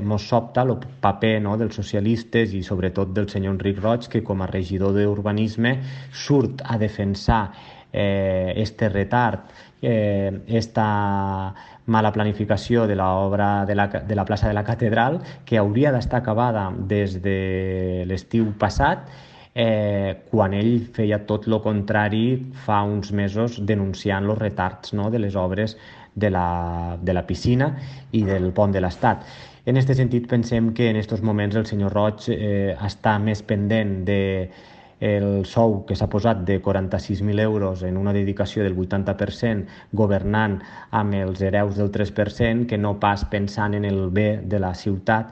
Mos sobta el paper, no, dels socialistes i sobretot del senyor Enric Roig, que com a regidor d'Urbanisme surt a defensar este retard, esta mala planificació de l'obra de la plaça de la Catedral, que hauria d'estar acabada des de l'estiu passat, quan ell feia tot el contrari fa uns mesos denunciant els retards, no, de les obres de la piscina i del pont de l'Estat. En aquest sentit, pensem que en aquests moments el senyor Roig està més pendent de el sou que s'ha posat de 46.000 euros en una dedicació del 80% governant amb els hereus del 3% que no pas pensant en el bé de la ciutat